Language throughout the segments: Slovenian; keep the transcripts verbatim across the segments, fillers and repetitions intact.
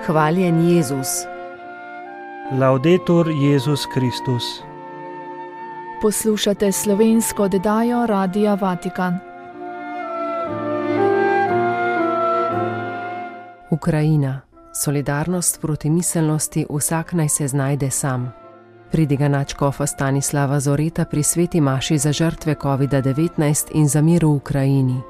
Hvaljen Jezus. Laudetur Jezus Kristus. Poslušate slovensko oddajo Radia Vatikan. Ukrajina. Solidarnost proti miselnosti vsak naj se znajde sam. Pridiga nadškofa Stanislava Zoreta pri sveti maši za žrtve kovida devetnajst in za mir v Ukrajini.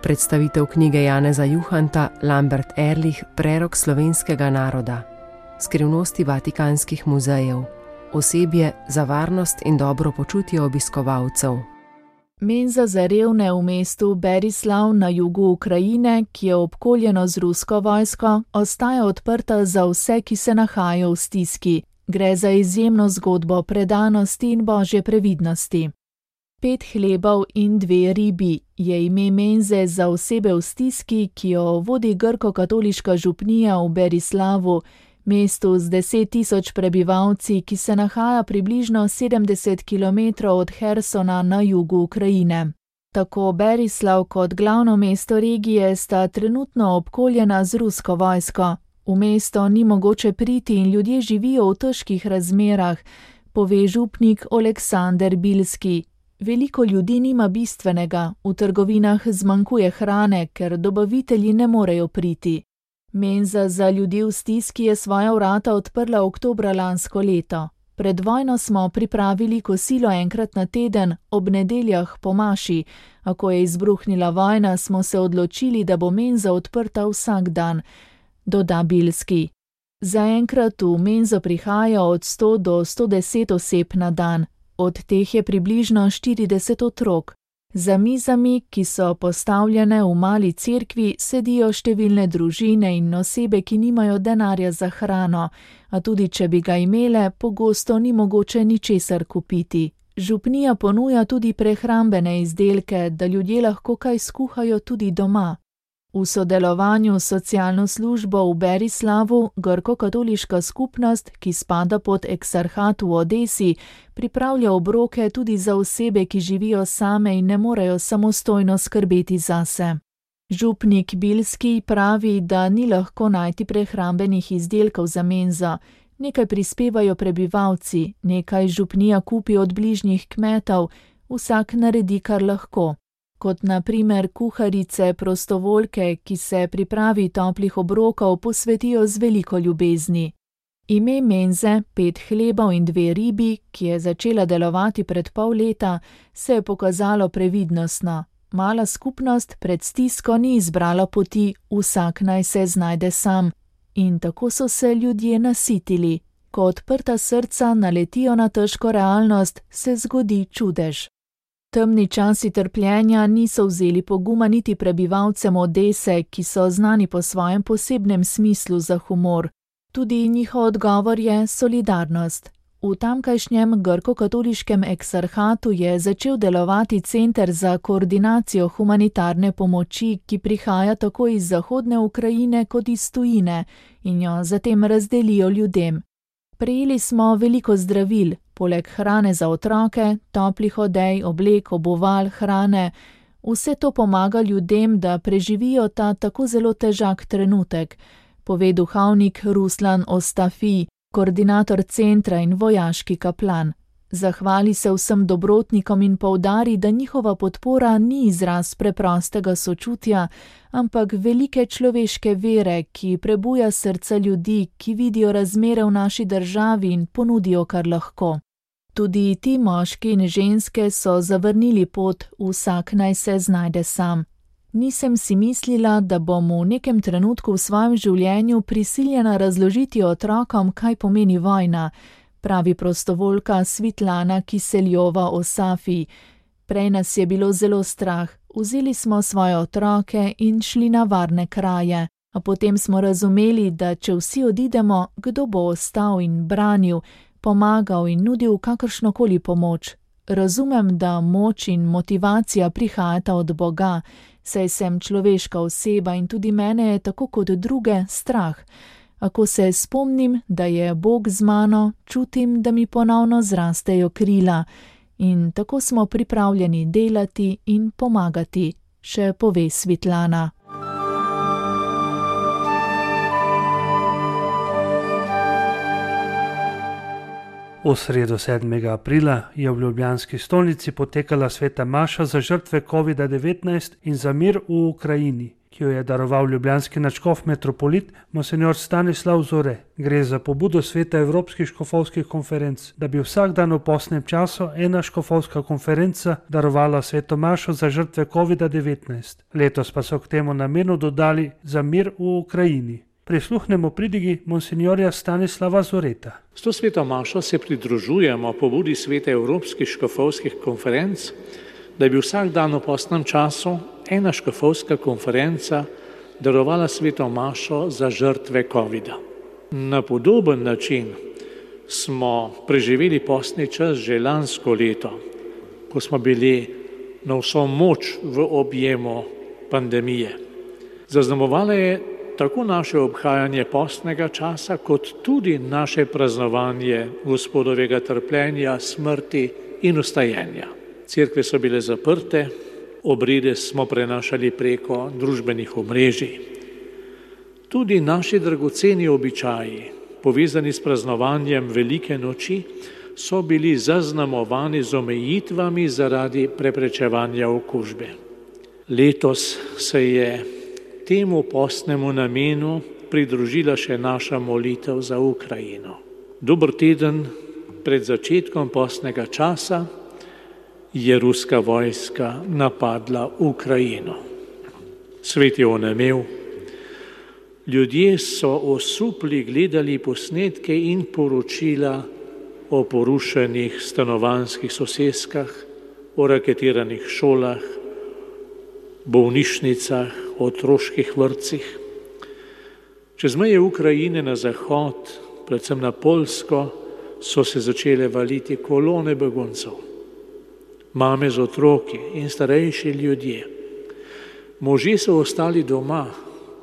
Predstavitev knjige Janeza Juhanta Lambert Ehrlich Prerok slovenskega naroda. Skrivnosti vatikanskih muzejev. Osebje za varnost in dobro počutje obiskovalcev. Menza za revne v mestu Berislav na jugu Ukrajine, ki je obkoljeno z rusko vojsko, ostaja odprta za vse, ki se nahajajo v stiski. Gre za izjemno zgodbo predanosti in božje previdnosti. Pet hlebov in dve ribi je ime menze za osebe v stiski, ki jo vodi grko-katoliška župnija v Berislavu, mestu z deset tisoč prebivalci, ki se nahaja približno sedemdeset kilometrov od Hersona na jugu Ukrajine. Tako Berislav kot glavno mesto regije sta trenutno obkoljena z rusko vojsko. V mesto ni mogoče priti in ljudje živijo v težkih razmerah, pove župnik Oleksander Bilski. Veliko ljudi nima bistvenega, v trgovinah zmanjkuje hrane, ker dobavitelji ne morejo priti. Menza za ljudi v stiski je svoja vrata odprla oktobra lansko leto. Pred vojno smo pripravili kosilo enkrat na teden, ob nedeljah po maši, a ko je izbruhnila vojna, smo se odločili, da bo menza odprta vsak dan, doda Bilski. Zaenkrat v menzo prihaja od sto do sto deset oseb na dan, od teh je približno štirideset otrok. Za mizami, ki so postavljene v mali cerkvi, sedijo številne družine in osebe, ki nimajo denarja za hrano, a tudi če bi ga imele, pogosto ni mogoče ničesar kupiti. Župnija ponuja tudi prehrambene izdelke, da ljudje lahko kaj skuhajo tudi doma. V sodelovanju s socialno službo v Berislavu grko-katoliška skupnost, ki spada pod eksarhat v Odesi, pripravlja obroke tudi za osebe, ki živijo same in ne morejo samostojno skrbeti zase. Župnik Bilski pravi, da ni lahko najti prehrambenih izdelkov za menzo. Nekaj prispevajo prebivalci, nekaj župnija kupi od bližnjih kmetov, vsak naredi kar lahko. Kot na primer kuharice, prostovoljke, ki se pripravi toplih obrokov posvetijo z veliko ljubezni. Ime menze, pet hlebov in dve ribi, ki je začela delovati pred pol leta, se je pokazalo previdnostno. Mala skupnost pred stisko ni izbrala poti, vsak naj se znajde sam. In tako so se ljudje nasitili. Ko odprta srca naletijo na težko realnost, se zgodi čudež. Temni časi trpljenja niso vzeli poguma niti prebivalcem Odese, ki so znani po svojem posebnem smislu za humor. Tudi njihov odgovor je solidarnost. V tamkajšnjem grko-katoliškem eksarhatu je začel delovati center za koordinacijo humanitarne pomoči, ki prihaja tako iz zahodne Ukrajine kot iz tujine in jo zatem razdelijo ljudem. Prejeli smo veliko zdravil, poleg hrane za otroke, toplih odej, oblek, obuval, hrane. Vse to pomaga ljudem, da preživijo ta tako zelo težak trenutek, pove duhovnik Ruslan Ostafi, koordinator centra in vojaški kaplan. Zahvali se vsem dobrotnikom in poudari, da njihova podpora ni izraz preprostega sočutja, ampak velike človeške vere, ki prebuja srca ljudi, ki vidijo razmere v naši državi in ponudijo kar lahko. Tudi ti moški in ženske so zavrnili pot, vsak naj se znajde sam. Nisem si mislila, da bom v nekem trenutku v svojem življenju prisiljena razložiti otrokom, kaj pomeni vojna, pravi prostovoljka Svitlana Kiseljova o Safi. Prej nas je bilo zelo strah, vzeli smo svoje otroke in šli na varne kraje, a potem smo razumeli, da če vsi odidemo, kdo bo ostal in branil, pomagal in nudil kakršnokoli pomoč. Razumem, da moč in motivacija prihajata od Boga, saj sem človeška oseba in tudi mene je tako kot druge strah. A ko se spomnim, da je Bog z mano, čutim, da mi ponovno zrastejo krila. In tako smo pripravljeni delati in pomagati, še pove Svitlana. V sredo sedmega aprila je v ljubljanski stolnici potekala sveta maša za žrtve covida devetnajst in za mir v Ukrajini, ki jo je daroval ljubljanski nadškof metropolit monsinjor Stanislav Zore. Gre za pobudo sveta evropskih škofovskih konferenc, da bi vsak dan v postnem času ena škofovska konferenca darovala sveto mašo za žrtve covida devetnajst. Letos pa so k temu namenu dodali za mir v Ukrajini. Prisluhnemo pridigi monsinjorja Stanislava Zoreta. S to sveto mašo se pridružujemo pobudi sveta evropskih škofovskih konferenc, da bi vsak dan v postnem času ena škofovska konferenca darovala sveto mašo za žrtve covida. Na podoben način smo preživeli postni čas že lansko leto, ko smo bili na vso moč v objemu pandemije. Zaznamovala je tako naše obhajanje postnega časa, kot tudi naše praznovanje Gospodovega trpljenja, smrti in vstajenja. Cerkve so bile zaprte, obrede smo prenašali preko družbenih omrežij. Tudi naši dragoceni običaji, povezani s praznovanjem velike noči, so bili zaznamovani z omejitvami zaradi preprečevanja okužbe. Letos se je temu postnemu namenu pridružila še naša molitev za Ukrajino. Dober teden pred začetkom postnega časa je ruska vojska napadla Ukrajino. Svet je onemel. Ljudje so osupli gledali posnetke in poročila o porušenih stanovanjskih soseskah, o raketiranih šolah, bolnišnicah, otroških vrtcih. Čez meje Ukrajine na zahod, predvsem na Poljsko, so se začele valiti kolone beguncev. Mame z otroki in starejši ljudje. Možje so ostali doma,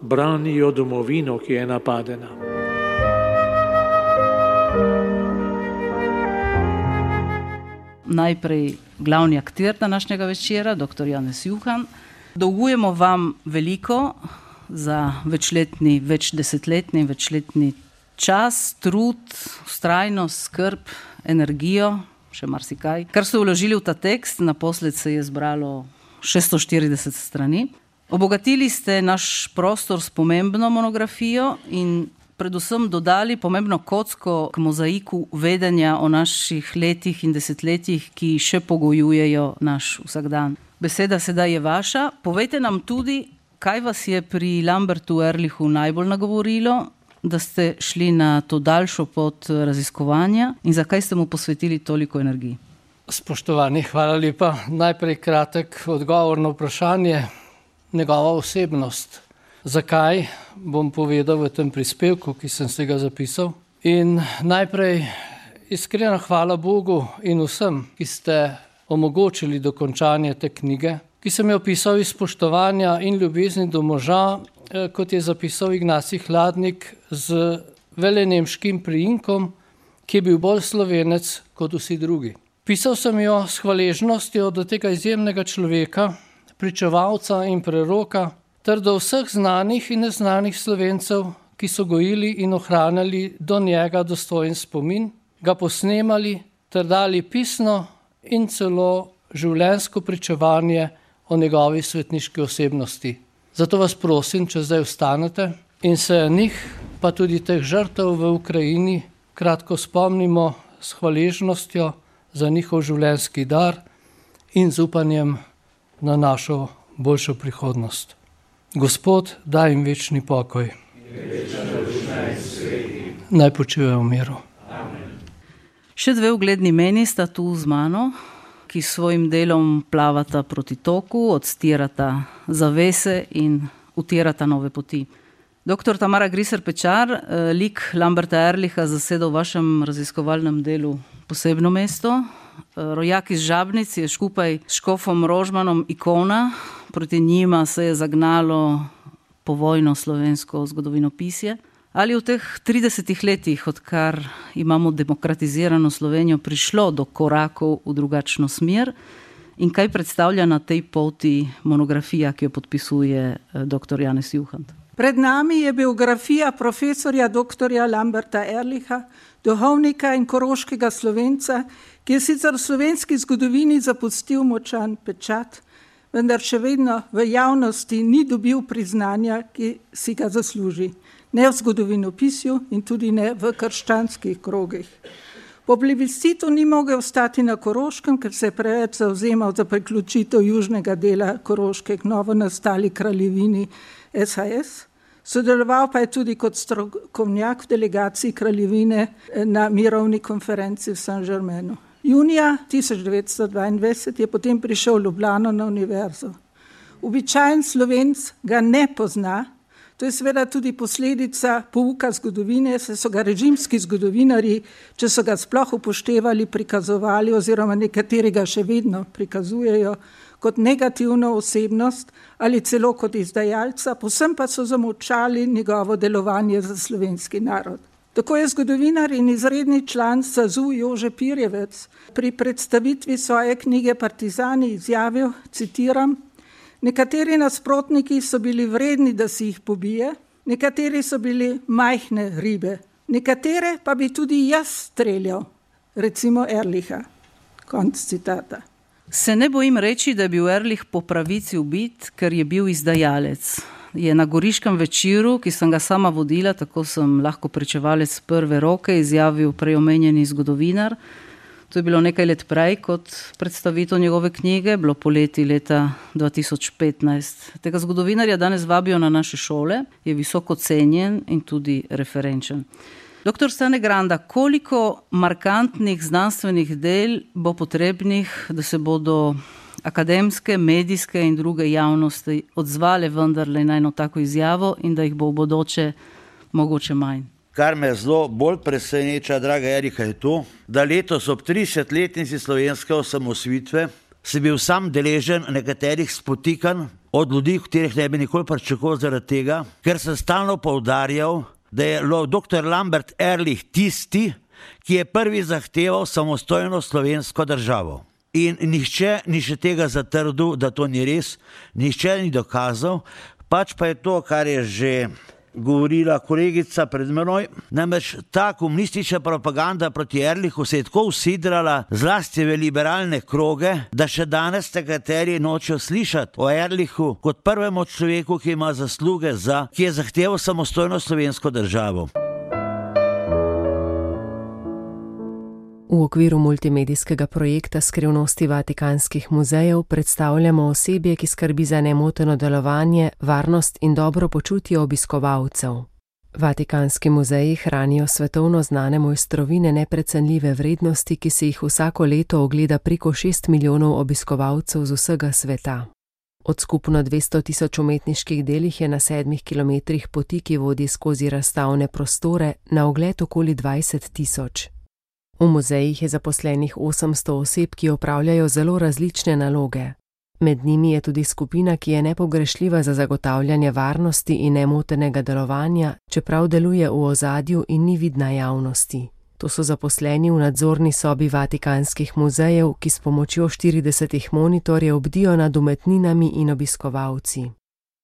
branijo domovino, ki je napadena. Najprej glavni akter današnjega večera, doktor Janez Juhan. Dolgujemo vam veliko za večletni, večdesetletni, večletni čas, trud, vztrajnost, skrb, energijo, še marsikaj. Kar ste vložili v ta tekst, naposled se je zbralo šeststo štirideset strani. Obogatili ste naš prostor s pomembno monografijo in predvsem dodali pomembno kocko k mozaiku vedenja o naših letih in desetletjih, ki še pogojujejo naš vsakdan. Beseda sedaj je vaša. Povejte nam tudi, kaj vas je pri Lambertu Ehrlichu najbolj nagovorilo, da ste šli na to daljšo pot raziskovanja in zakaj ste mu posvetili toliko energiji? Spoštovani, hvala lepa. Najprej kratek odgovor na vprašanje. Njegova osebnost. Zakaj, bom povedal v tem prispevku, ki sem se ga zapisal. In najprej iskrena hvala Bogu in vsem, ki ste omogočili dokončanje te knjige, ki sem jo pisal iz spoštovanja in ljubezni do moža, kot je zapisal Ignacij Hladnik, z velenemškim priimkom, ki je bil bolj Slovenec kot vsi drugi. Pisal sem jo s hvaležnostjo do tega izjemnega človeka, pričevalca in preroka, ter do vseh znanih in neznanih Slovencev, ki so gojili in ohranjali do njega dostojen spomin, ga posnemali ter dali pisno in celo življenjsko pričevanje o njegovi svetniški osebnosti. Zato vas prosim, če zdaj vstanete in se njih, pa tudi teh žrtev v Ukrajini, kratko spomnimo s hvaležnostjo za njihov življenjski dar in z upanjem na našo boljšo prihodnost. Gospod, daj jim večni pokoj. Naj počivajo v miru. Še dve ugledni meni sta tu z mano, ki s svojim delom plavata proti toku, odstirata zavese in utirata nove poti. Doktor Tamara Griser Pečar, lik Lamberta Ehrlicha zaseda v vašem raziskovalnem delu posebno mesto. Rojak iz Žabnic je skupaj s škofom Rožmanom ikona, proti njima se je zagnalo povojno slovensko zgodovinopisje. Ali v teh tridesetih letih, odkar imamo demokratizirano Slovenijo, prišlo do korakov v drugačno smer in kaj predstavlja na tej poti monografija, ki jo podpisuje doktor Janez Juhan? Pred nami je biografija profesorja doktorja Lamberta Ehrlicha, duhovnika in koroškega Slovenca, ki je sicer v slovenski zgodovini zapustil močan pečat, vendar še vedno v javnosti ni dobil priznanja, ki si ga zasluži. Ne v zgodovinopisju in tudi ne v krščanskih krogih. Po plebiscitu ni mogel ostati na Koroškem, ker se je preveč zavzemal za priključitev južnega dela Koroške k novo nastali kraljevini S H S. Sodeloval pa je tudi kot strokovnjak v delegaciji kraljevine na mirovni konferenci v Saint-Germainu. Junija tisoč devetsto dvaindvajset je potem prišel v Ljubljano na univerzo. Običajen Slovenc ga ne pozna, to je seveda tudi posledica pouka zgodovine, saj so ga režimski zgodovinarji, če so ga sploh upoštevali, prikazovali oziroma nekateri ga še vedno prikazujejo kot negativno osebnost ali celo kot izdajalca, povsem pa so zamolčali njegovo delovanje za slovenski narod. Tako je zgodovinar in izredni član S A Z U Jože Pirjevec pri predstavitvi svoje knjige Partizani izjavil, citiram: nekateri nasprotniki so bili vredni, da si jih pobije, nekateri so bili majhne ribe, nekatere pa bi tudi jaz streljal, recimo Ehrlicha. Konc citata. Se ne bojim reči, da je bil Ehrlich po pravici ubit, ker je bil izdajalec. Je na Goriškem večeru, ki sem ga sama vodila, tako sem lahko pričevalec prve roke, izjavil preomenjeni zgodovinar. To je bilo nekaj let prej kot predstavitev njegove knjige, bilo poleti leta dva tisoč petnajst. Tega zgodovinarja danes vabijo na naše šole, je visoko cenjen in tudi referenčen. Doktor Stane Granda, koliko markantnih znanstvenih del bo potrebnih, da se bodo akademske, medijske in druge javnosti odzvale vendarle na eno tako izjavo in da jih bo v bodoče mogoče manj? Kar me zelo bolj preseneča, draga Erika, je to, da letos ob tridesetletnici slovenske osamosvojitve si bil sam deležen nekaterih spotikanj od ljudi, katerih ne bi nikoli pričakoval zaradi tega, ker sem stalno poudarjal, da je doktor Lambert Ehrlich tisti, ki je prvi zahteval samostojno slovensko državo. In nihče ni še tega zatrdil, da to ni res, nihče ni dokazal, pač pa je to, kar je že govorila kolegica pred menoj, namreč ta komunistična propaganda proti Ehrlichu se je tako usidrala zlasti v liberalne kroge, da še danes nekateri nočejo slišati o Ehrlichu kot prvemu človeku, ki ima zasluge za, ki je zahteval samostojno slovensko državo. V okviru multimedijskega projekta Skrivnosti vatikanskih muzejev predstavljamo osebje, ki skrbi za nemoteno delovanje, varnost in dobro počutje obiskovalcev. Vatikanski muzeji hranijo svetovno znane mojstrovine neprecenljive vrednosti, ki se jih vsako leto ogleda preko šest milijonov obiskovalcev z vsega sveta. Od skupno dvesto tisoč umetniških delih je na sedmih kilometrih poti, ki vodi skozi razstavne prostore, na ogled okoli dvajset tisoč. V muzejih je zaposlenih osemsto oseb, ki opravljajo zelo različne naloge. Med njimi je tudi skupina, ki je nepogrešljiva za zagotavljanje varnosti in nemotenega delovanja, čeprav deluje v ozadju in ni vidna javnosti. To so zaposleni v nadzorni sobi vatikanskih muzejev, ki s pomočjo štiridesetih monitorjev bdijo nad umetninami in obiskovalci.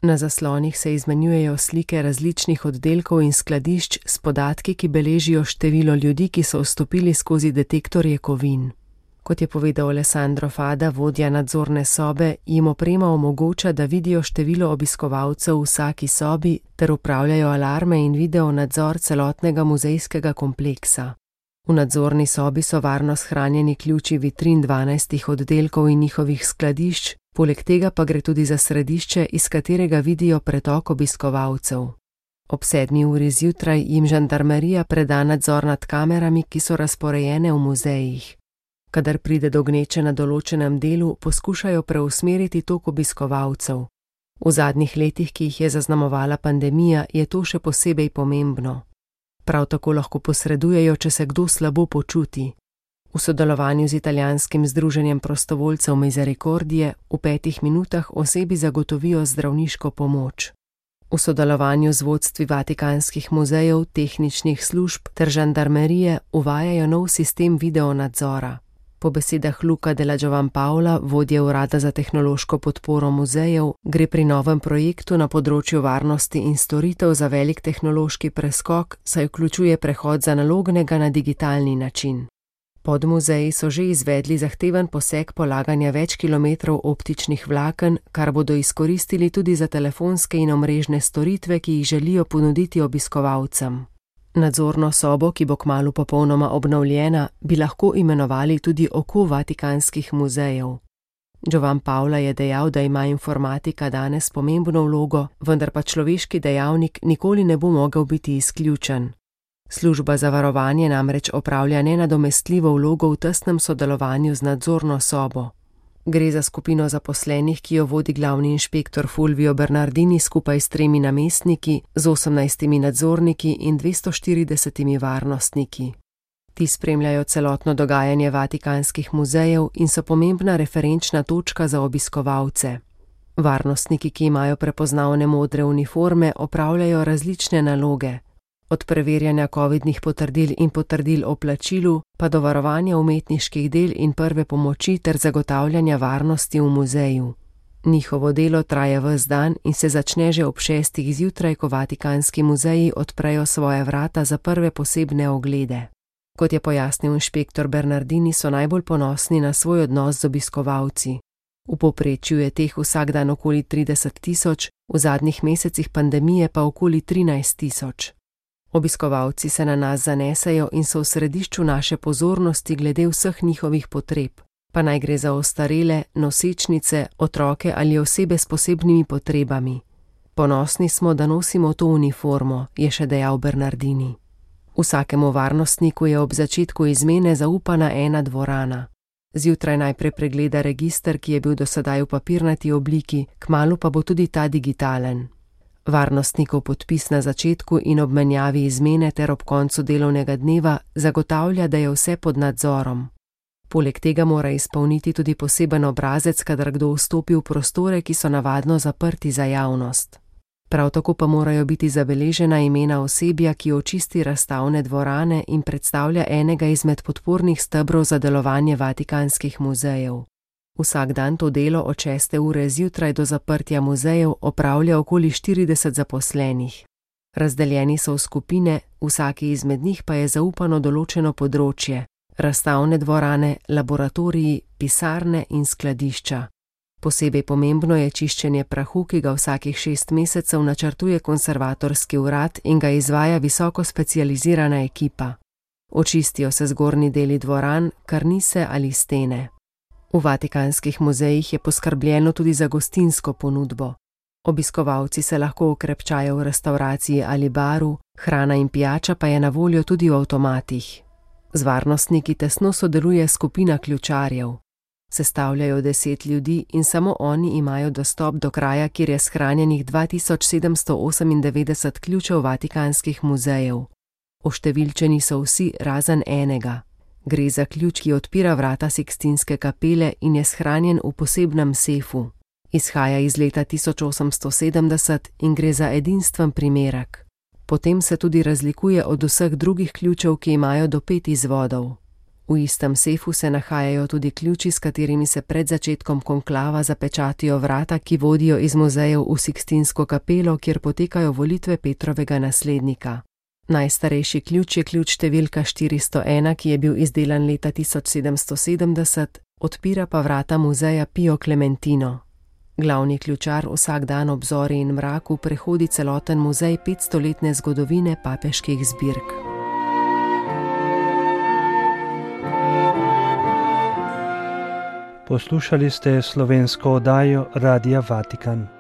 Na zaslonih se izmenjujejo slike različnih oddelkov in skladišč s podatki, ki beležijo število ljudi, ki so vstopili skozi detektorje kovin. Kot je povedal Alessandro Fada, vodja nadzorne sobe, jim oprema omogoča, da vidijo število obiskovalcev v vsaki sobi ter upravljajo alarme in video nadzor celotnega muzejskega kompleksa. V nadzorni sobi so varno shranjeni ključi vitrin dvanajstih oddelkov in njihovih skladišč, poleg tega pa gre tudi za središče, iz katerega vidijo pretok obiskovalcev. Ob sedmi uri zjutraj jim žandarmerija preda nadzor nad kamerami, ki so razporejene v muzejih. Kadar pride do gneče na določenem delu, poskušajo preusmeriti tok obiskovalcev. V zadnjih letih, ki jih je zaznamovala pandemija, je to še posebej pomembno. Prav tako lahko posredujejo, če se kdo slabo počuti. V sodelovanju z italijanskim združenjem prostovoljcev Misericordie v petih minutah osebi zagotovijo zdravniško pomoč. V sodelovanju z vodstvi vatikanskih muzejev, tehničnih služb ter žandarmerije uvajajo nov sistem videonadzora. Po besedah Luca della Giovanpaola, vodje urada za tehnološko podporo muzejev, gre pri novem projektu na področju varnosti in storitev za velik tehnološki preskok, saj vključuje prehod z analognega na digitalni način. Podmuzeji so že izvedli zahteven poseg polaganja več kilometrov optičnih vlaken, kar bodo izkoristili tudi za telefonske in omrežne storitve, ki jih želijo ponuditi obiskovalcem. Nadzorno sobo, ki bo kmalu popolnoma obnovljena, bi lahko imenovali tudi oko vatikanskih muzejev. Giovanpaola je dejal, da ima informatika danes pomembno vlogo, vendar pa človeški dejavnik nikoli ne bo mogel biti izključen. Služba za varovanje namreč opravlja nenadomestljivo vlogo v tesnem sodelovanju z nadzorno sobo. Gre za skupino zaposlenih, ki jo vodi glavni inšpektor Fulvio Bernardini skupaj s tremi namestniki, z osemnajstimi nadzorniki in dvesto štiridesetimi varnostniki. Ti spremljajo celotno dogajanje vatikanskih muzejev in so pomembna referenčna točka za obiskovalce. Varnostniki, ki imajo prepoznavne modre uniforme, opravljajo različne naloge. Od preverjanja covidnih potrdil in potrdil o plačilu, pa do varovanja umetniških del in prve pomoči ter zagotavljanja varnosti v muzeju. Njihovo delo traja ves dan in se začne že ob šestih zjutraj, ko vatikanski muzeji odprejo svoje vrata za prve posebne oglede. Kot je pojasnil inšpektor Bernardini, so najbolj ponosni na svoj odnos z obiskovalci. V povprečju je teh vsak dan okoli trideset tisoč, v zadnjih mesecih pandemije pa okoli trinajst tisoč. Obiskovalci se na nas zanesejo in so v središču naše pozornosti glede vseh njihovih potreb, pa naj gre za ostarele, nosečnice, otroke ali osebe s posebnimi potrebami. Ponosni smo, da nosimo to uniformo, je še dejal Bernardini. Vsakemu varnostniku je ob začetku izmene zaupana ena dvorana. Zjutraj najprej pregleda register, ki je bil do sedaj v papirnati obliki, kmalu pa bo tudi ta digitalen. Varnostnikov podpis na začetku in ob menjavi izmene ter ob koncu delovnega dneva zagotavlja, da je vse pod nadzorom. Poleg tega mora izpolniti tudi poseben obrazec, kadar kdo vstopi v prostore, ki so navadno zaprti za javnost. Prav tako pa morajo biti zabeležena imena osebja, ki očisti razstavne dvorane in predstavlja enega izmed podpornih stebrov za delovanje vatikanskih muzejev. Vsak dan to delo od šeste ure zjutraj do zaprtja muzejev opravlja okoli štirideset zaposlenih. Razdeljeni so v skupine, vsaki izmed njih pa je zaupano določeno področje: razstavne dvorane, laboratoriji, pisarne in skladišča. Posebej pomembno je čiščenje prahu, ki ga vsakih šest mesecev načrtuje konservatorski urad in ga izvaja visoko specializirana ekipa. Očistijo se zgornji deli dvoran, karnise ali stene. V vatikanskih muzejih je poskrbljeno tudi za gostinsko ponudbo. Obiskovalci se lahko okrepčajo v restavraciji ali baru, hrana in pijača pa je na voljo tudi v avtomatih. Z varnostniki tesno sodeluje skupina ključarjev. Sestavljajo deset ljudi in samo oni imajo dostop do kraja, kjer je shranjenih dva tisoč sedemsto osemindevetdeset ključev vatikanskih muzejev. Oštevilčeni so vsi razen enega. Gre za ključ, ki odpira vrata Sikstinske kapele in je shranjen v posebnem sefu. Izhaja iz leta tisoč osemsto sedemdeset in gre za edinstven primerek. Potem se tudi razlikuje od vseh drugih ključev, ki imajo do pet izvodov. V istem sefu se nahajajo tudi ključi, s katerimi se pred začetkom konklava zapečatijo vrata, ki vodijo iz muzejev v Sikstinsko kapelo, kjer potekajo volitve Petrovega naslednika. Najstarejši ključ je ključ številka štiristo ena, ki je bil izdelan leta tisoč sedemsto sedemdeset, odpira pa vrata muzeja Pio Clementino. Glavni ključar vsak dan ob zori in mraku prehodi celoten muzej petstoletne zgodovine papeških zbirk. Poslušali ste slovensko oddajo Radia Vatikan.